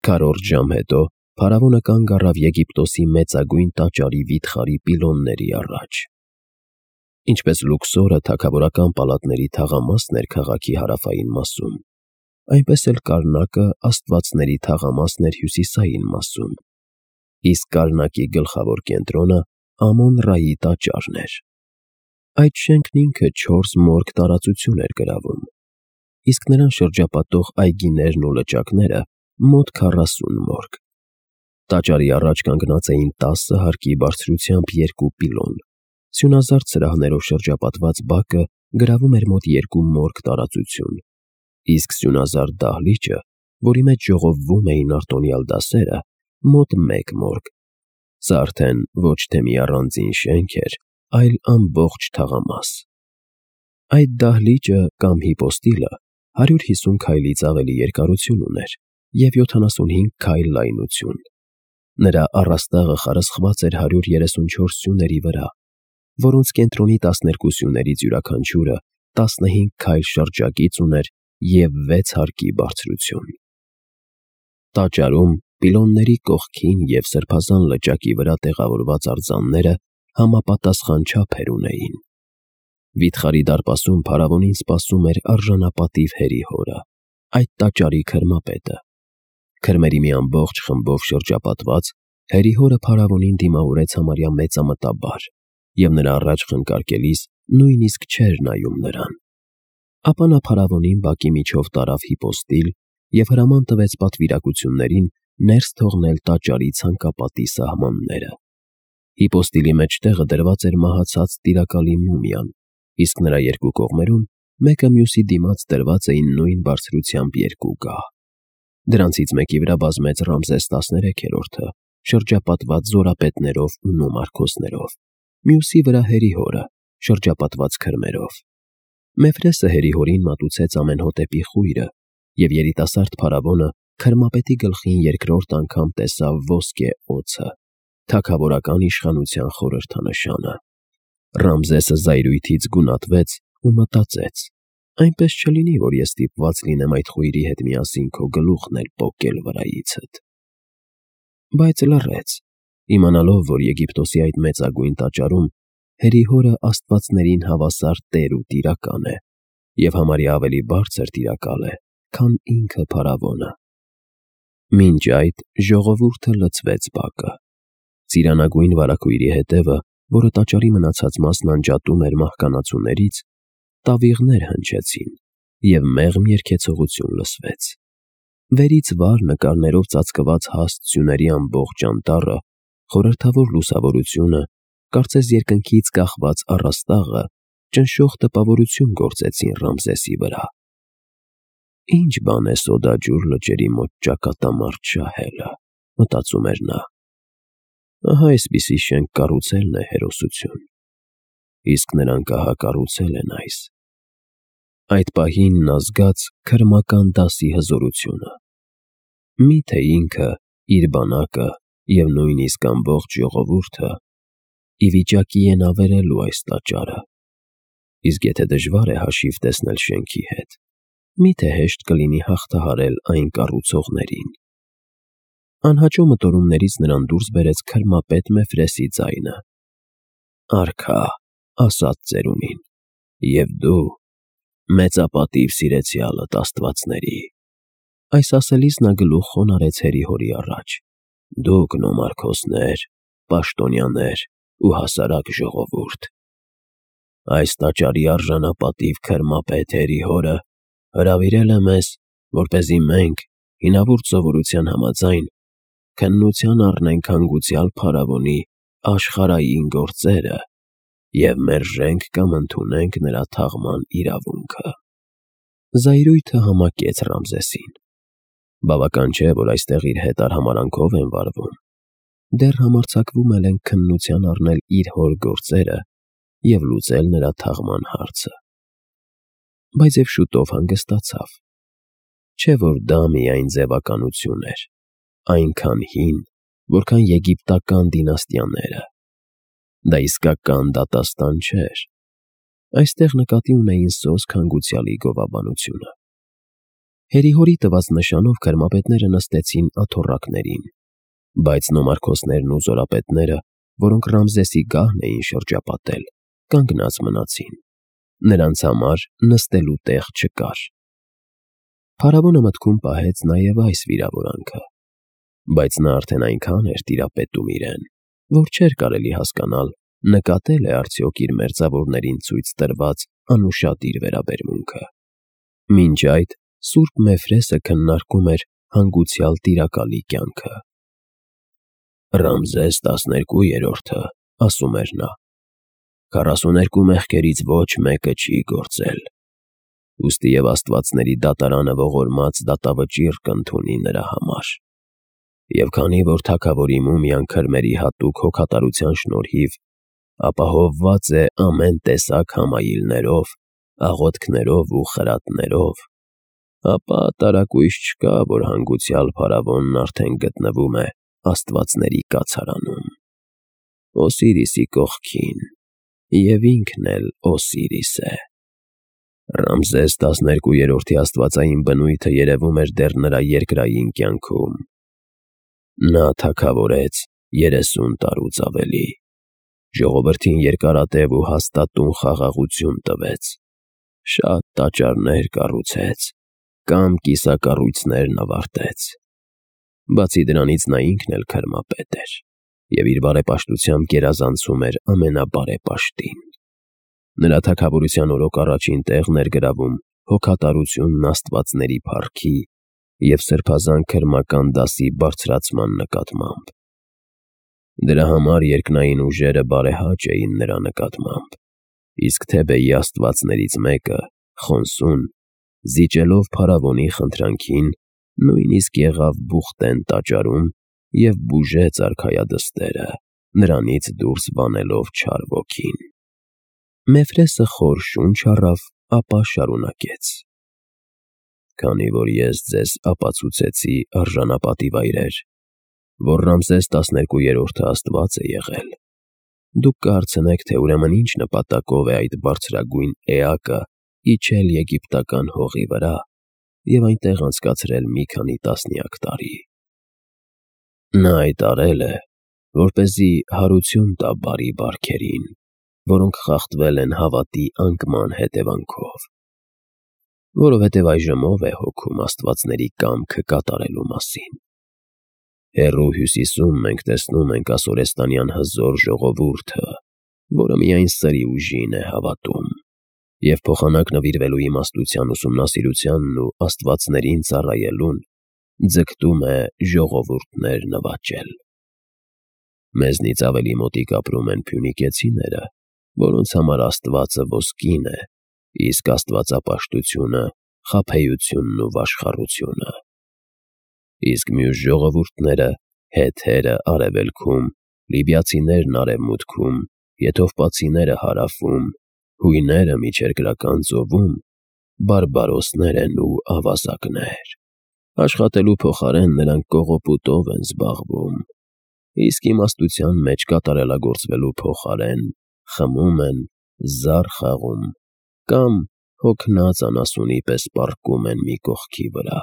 Քառորդ ժամ հետո փարավոնը կանգ առավ Եգիպտոսի մեծագույն տաճարի վիթխարի պիլոնների առաջ։ Ինչպես Լուքսորը թագավորական պալատների թաղամասն էր քաղաքի հարավային մասում, այնպես էլ Կարնակը աստվածների թաղամասն էր հյուսիսային մասում, իսկ Կարնակի գլխավոր կենտրոնը Ամոն-Ռայի տաճարն էր։ Այդ շենքն ինքը 4 մորգ տարածություն էր գրավում, իսկ նրան շրջապատող այգիներն ու լճակները մոտ 40 մորգ։ Տաճարի առաջ կանգնած էին 10 հարկի բարձրությամբ 2 պիլոն։ Սյունազարդ սրահներով շրջապատված բակը գրավում էր մոտ 2 մորգ տարածություն, իսկ սյունազարդ դահլիճը, որի մեջ ժողովվում էին արտոնյալ դասերը, մոտ 1 մորգ։ Սա արդեն ոչ թե մի առանձին շենք էր, այլ ամբողջ թաղամաս։ Այդ դահլիճը կամ հիպոստիլը 150 քայլից ավելի երկարություն ուներ և 75 քայլ լայնություն։ Նրա առաստաղը խարսխված էր 134 սյուների վրա, որոնց կենտրոնի 12 սյուներից յուրաքանչյուրը 15 քայլ շրջագիծ ուներ և 6 հարկի բարձրություն։ Տաճարում պիլոնների կողքին և սրբազան լճակի վրա տեղավորված արձանները համապատասխան չափեր ունեին։ Վիթխարի դարպասում փարավոնին սպասում էր արժանապատիվ հերիհորը, այդ տաճարի քրմապետը։ Քրմերի մի ամբողջ խմբով շրջապատված, հերիհորը փարավոնին դիմավորեց համարյա մեծամտաբար և նրա առաջ խնկարկելիս նույնիսկ չէր նայում նրան։ Ապա նա փարավոնին բակի միջով տարավ հիպոստիլ և հրաման տվեց պատվիրակություններին ներս թողնել տաճարի ցանկապատի սահմանները։ Հիպոստիլի մեջտեղը դրված էր մահացած տիրակալի մումիան, իսկ նրա երկու կողմերում մեկը մյուսի դիմաց դրված էին նույն բարձրությամբ 2 գահ։ Դրանցից մեկի վրա բազմեց Ռամզես 13-րդը, շրջապատված զորապետներով ու նոմարքոսներով, մյուսի վրա հերիհորը, շրջապատված քրմերով։ Մեֆրեսը հերիհորին մատուցեց ամենհոտեպի խույրը, և երիտասարդ փարավոնը քրմապետի գլխին երկրորդ անգամ տեսավ ոսկե օձը, թագավորական իշխանության խորհրդանշանը։ Ռամզեսը զայրույթից գունատվեց ու մտածեց. այնպես չլինի, որ ես ստիպված լինեմ այդ խույրի հետ միասին քո գլուխն էլ պոկել վրայիցդ։ Բայց լռեց, իմանալով, որ Եգիպտոսի այդ մեծագույն տաճարում հերիհորը աստվածներին հավասար տեր ու տիրակալ է, և համարյա ավելի բարձր տիրակալ է, քան ինքը փարավոնը։ Մինչ այդ ժողովուրդը լցվեց բակը։ Ծիրանագույն վարագույրի հետևը, որը տաճարի մնացած մասն անջատում էր մահկանացուներից, տավիղներ հնչեցին, և մեղմ երգեցողություն լսվեց։ Վերից վար նկարներով ծածկված հաստ սյուների ամբողջ անտառը, խորհրդավոր լուսավորությունը, կարծես երկնքից կախված առաստաղը, ճնշող տպավորություն գործեցին Ռամզեսի վրա։ Ինչ բան է սոդաջուր լճերի մոտ ճակատամարտ շահելը, մտածում էր նա։ Ահա այսպիսի շենք կառուցելն է հերոսություն, իսկ նրանք ահա կառուցել են այս։ Այդ պահին նա զգաց քրմական դասի հզորությունը։ Մի՞թե ինքը, իր բանակը և նույնիսկ ամբողջ ժողովուրդը ի վիճակի են ավերելու այս տաճարը։ Իսկ եթե դժվար է հաշիվ տեսնել շենքի հետ, մի՞թե հեշտ կլինի հաղթահարել այն կառուցողներին։ Անհաճո մտորումներից նրան դուրս բերեց քրմապետ Մեֆրեսի ձայնը. «Արքա, ասաց ծերունին, և դու, մեծապատիվ սիրեցյալդ աստվածների»։ Այս ասելիս նա գլուխ խոնարհեց հերիհորի առաջ. «Դուք նոմարքոսներ, պաշտոնյաներ ու հասարակ ժողովուրդ, այս տաճարի արժանապատիվ քրմապետ հերիհորը հրավիրել է մեզ, որպեսզի մենք, հինավուրց սովորության համաձայն, քննության առնենք հանգուցյալ փարավոնի աշխարհային գործերը և մերժենք կամ ընդունենք նրա թաղման իրավունքը»։ Զայրույթը համակեց Ռամզեսին։ Բավական չէ, որ այստեղ իր հետ արհամարհանքով են վարվում, դեռ համարձակվում էլ են քննության առնել իր հոր գործերը և լուծել նրա թաղման հարցը։ Բայց և շուտով հանգստացավ։ Չէ՞ որ դա միայն ձևականություն էր, այնքան հին, որքան եգիպտական դինաստիաները։ Դա իսկական դատաստան չէր։ Այստեղ նկատի ունեին սոսկ հանգուցյալի գովաբանությունը։ Հերիհորի տված նշանով քրմապետները նստեցին աթոռակներին, բայց նոմարքոսներն ու զորապետները, որոնք Ռամզեսի գահն էին շրջապատել, կանգնած մնացին. նրանց համար նստելու տեղ չկար։ Փարավոնը մտքում պահեց նաև այս վիրավորանքը, բայց նա արդեն այնքան էր տիրապետում իրեն, որ չէր կարելի հասկանալ նկատել է արդյոք իր մերձավորներին ցույց տրված անուշադիր վերաբերմունքը։ Մինչ այդ Սուրբ Մեֆրեսը քննարկում էր հանգուցյալ տիրակալի կյանքը։ Ռամզես 12-րդը, ասում էր նա, 42 մեղքերից ոչ մեկը չի գործել, ուստի և աստվածների դատարանը ողորմած դատավճիռ կընդունի նրա համար։ Եվ քանի որ թագավորի մումիան քրմերի հատուկ հոգատարության շնորհիվ ապահովված է ամեն տեսակ համայիլներով, աղոթքներով ու խրատներով, ապա տարակույս չկա, որ հանգուցյալ փարավոնն արդեն գտնվում է աստվածների կացարանում, Օսիրիսի կողքին, և ինքն էլ Օսիրիս է։ Ռամզես 12-րդի աստվածային բնույթը երևում էր դեռ նրա երկրային կյանքում։ Նա թագավորեց 30 տարուց ավելի, ժողովրդին երկարատև ու հաստատուն խաղաղություն տվեց, շատ տաճարներ կառուցեց կամ կիսակառույցներն ավարտեց։ Բացի դրանից նա ինքն էլ քրմապետ էր և իր բարեպաշտությամբ գերազանցում էր ամենաբարեպաշտին։ Նրա թագավորության օրոք առաջին տեղն էր գրավում հոգատարությունն աստվածների փառքի և սրբազան քրմական դասի բարձրացման նկատմամբ։ Դրա համար երկնային ուժերը բարեհաճ էին նրա նկատմամբ, իսկ Թեբեի աստվածներից մեկը՝ Խոնսուն, զիջելով փարավոնի խնդրանքին, նույնիսկ եղավ Բուխտեն տաճարում և բուժեց արքայադստերը, նրանից դուրս բանելով չար ոգին։ Մեֆրեսը խոր շունչ առավ, ապա շարունակեց. «Քանի որ ես ձեզ ապացուցեցի արժանապատիվ այրեր, որ Ռամզես 12-րդը աստված է եղել, դուք կհարցնեք, թե ուրեմն ինչ նպատակով է այդ բարձրագույն էակը իջել եգիպտական հողի վրա և այնտեղ անցկացրել մի քանի տասնյակ տարի։ Նա այդ արել է, որպեսզի հարություն տա բարի բարքերին, որոնք խախտվել են հավատի անկման հետևանքով, որովհետև այժմ ով է հոգում աստվածների կամքը կատարելու մասին։ Հեռու հյուսիսում մենք տեսնում ենք ասորեստանյան հզոր ժողովուրդը, որը միայն սրի ուժին է հավատում և փոխանակ նվիրվելու իմաստության ուսումնասիրությանն ու աստվածներին ծառայելուն ձգտում է ժողովուրդներ նվաճել։ Մեզնից ավելի մոտիկ ապրում են փյունիկեցիները, որոնց համար աստվածը ոսկին է, իսկ աստվածապաշտությունը խաբեությունն ու վաշխառությունը։ Իսկ մյուս ժողովուրդները՝ հեթերը արևելքում, լիբիացիներն արևմուտքում, եթովպացիները հարավում, հույները միջերկրական ծովում, բարբարոսներ են ու ավազակներ։ Աշխատելու փոխարեն նրանք կողոպուտով են զբաղվում, իսկ իմաստության մեջ կատարելագործվելու փոխարեն խմում են, զար խաղում կամ հոգնած անասունի պես պառկում են մի կողքի վրա։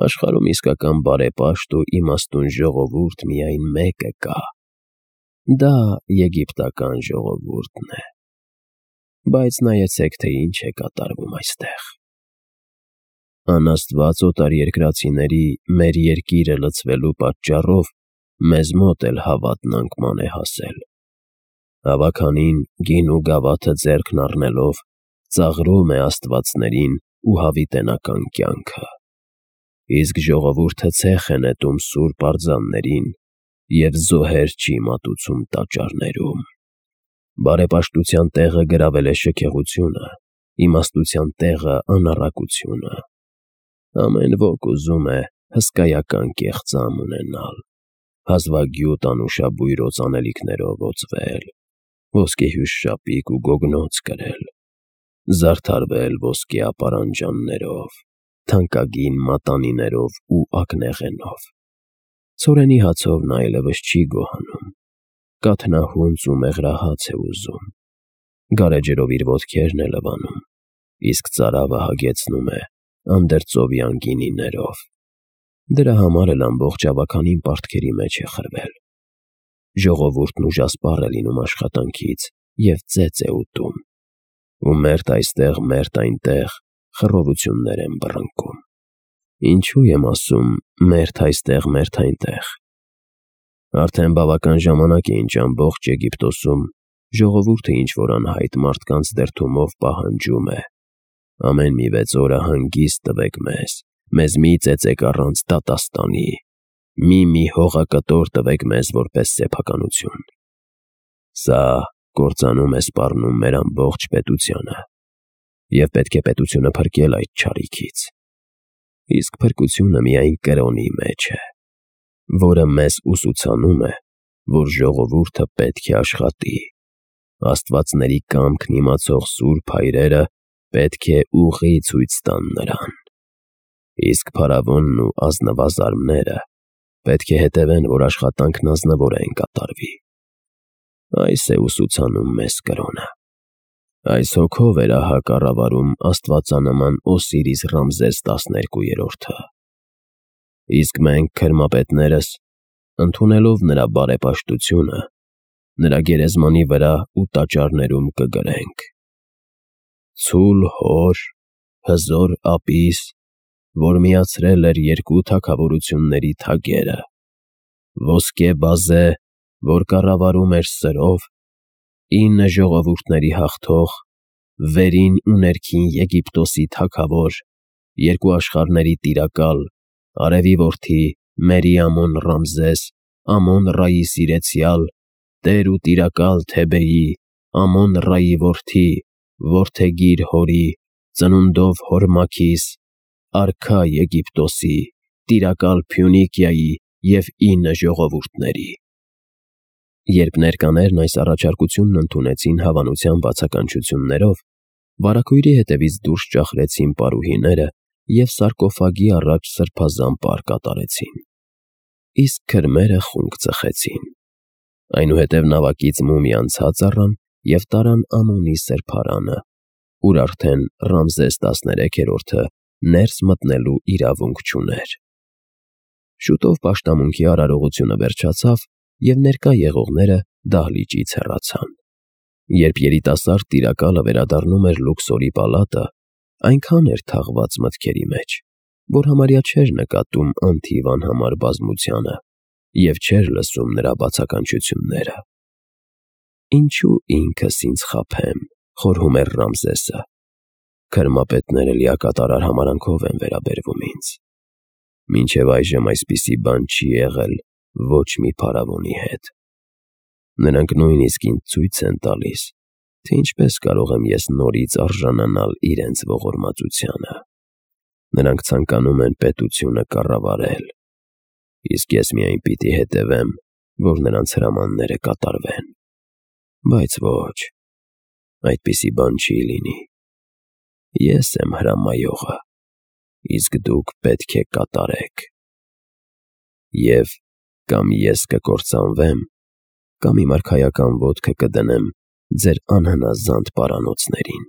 Աշխարհում իսկական բարեպաշտ ու իմաստուն ժողովուրդ միայն մեկը կա, դա եգիպտական ժողովուրդն է։ Բայց նայեցեք, թե ինչ է կատարվում այստեղ։ Անաստված օտարերկրացիների մեր երկիրը լցվելու պատճառով մեզ մոտ էլ հավատն անկման է հասել։ Հավաքանին գին ու գավաթը ձեռքն առնելով ծաղրում է աստվածներին ու հավիտենական կյանքը, իսկ ժողովուրդը ցեխ է նետում սուրբ արձաններին և զոհեր չի մատուցում տաճարներում։ Բարեպաշտության տեղը գրավել է շքեղությունը, իմաստության տեղը անառակությունը։ Ամեն ոք ուզում է հսկայական կեղծամ ունենալ, հազվագյուտ անուշաբույր օծանելիքներով օծվել, ոսկեհյուշ շապիկ ու գոգնոց կրել, զարդարվել ոսկե ապարանջաններով, թանկագին մատանիներով ու ակնեղենով։ Ցորենի հացով նա այլևս չի գոհանում, կաթնահունց ու մեղրահաց է ուզում, գարեջրով իր ոտքերն է լվանում, իսկ ծարավը հագեցնում է անդերձովյան գինիներով։ Դրա համար էլ ամբողջ ավականին պարտքերի մեջ է խրվել։ Ժողովուրդն ուժասպառ է լինում աշխատանքից և ծեծ է ուտում, ու մերթ այստեղ, մերթ այնտեղ խռովություններ են բռնկում։ Ինչու եմ ասում մերթ այստեղ, մերթ այնտեղ։ Արդեն բավական ժամանակ է, ինչ ամբողջ Եգիպտոսում ժողովուրդը ինչ-որ անհայտ մարդկանց դերդումով պահանջում է. ամեն մի 6 օրը հանգիստ տվեք մեզ մի ծեծեք առանց դատաստանի, մի հողակտոր տվեք մեզ որպես սեփականություն։ Սա կործանում է սպառնում մեր ամբողջ պետությանը, և պետք է պետությունը փրկել այդ չարիքից։ Իսկ փրկությունը միայն կրոնի մեջ է, որը մեզ ուսուցանում է, որ ժողովուրդը պետք է աշխատի, աստվածների կամքն իմացող սուրբ հայրերը պետք է ուղի ցույց տան նրան, իսկ փարավոնն ու ազնվազարմները պետք է հետևեն, որ աշխատանքն ազնվորեն կատարվի։ Այս է ուսուցանում մեզ կրոնը։ Այս հոգով էր ահա կառավարում աստվածանման Օսիրիս Ռամզես 12-րդը։ Իսկ մենք, քրմապետներս, ընդունելով նրա բարեպաշտությունը, նրա գերեզմանի վրա ու տաճարներում կգրենք. «Ցուլ հոր, հզոր ապիս, որ միացրել էր երկու թագավորությունների թագերը, ոսկե բազե, որ կառավարում էր սրով, 9 ժողովուրդների հաղթող, վերին ու ներքին Եգիպտոսի թագավոր, երկու աշխարհների տիրակալ, արևի որդի, Մերի Ամոն Ռամզես, Ամոն-Ռայի սիրեցյալ, տեր ու տիրակալ Թեբեի, Ամոն-Ռայի որդի, որդեգիր հորի, ծնունդով հոր Մաքիս, արքա Եգիպտոսի, տիրակալ Փյունիկիայի և 9 ժողովուրդների»։ Երբ ներկաներն այս առաջարկությունն ընդունեցին հավանության բացականչություններով, վարագույրի հետևից դուրս ճախրեցին պարուհիները և սարկոֆագի առաջ սրբազան պար կատարեցին։ Իսկ քրմերը խունկ ծխեցին։ Այնուհետև նավակից մումիան ցած առան և տարան Ամոնի սրբարանը, ուր արդեն Ռամզես 13-րդը ներս մտնելու իրավունք չուներ։ Շուտով պաշտամունքի արարողությունը վերջացավ, և ներկա եղողները դահլիճից հեռացան։ Երբ երիտասարդ տիրակալը վերադառնում էր Լուքսորի պալատը, այնքան էր թաղված մտքերի մեջ, որ համարյա չէր նկատում անթիվ անհամար բազմությանը և չէր լսում նրա բացականչությունները։ «Ինչու ինքս ինձ խաբեմ», խորհում էր Ռամզեսը։ «Քրմապետները լիակատարար համարանքով են վերաբերվում ինձ։ Մինչև այժմ այսպիսի բան չի եղել ոչ մի փարավոնի հետ։ Նրանք նույնիսկ ինձ ցույց են տալիս, թե ինչպես կարող եմ ես նորից արժանանալ իրենց ողորմածությանը։ Նրանք ցանկանում են պետությունը կառավարել, իսկ ես միայն պիտի հետևեմ, որ նրանց հրամանները կատարվեն։ Բայց ոչ, այդպիսի բան չի լինի։ Ես եմ հրամայողը, իսկ դուք պետք է կատարեք։ Եվ կամ ես կկործանվեմ, կամ իմ արքայական ոտքը կդնեմ ձեր անհնազանդ պարանոցներին»։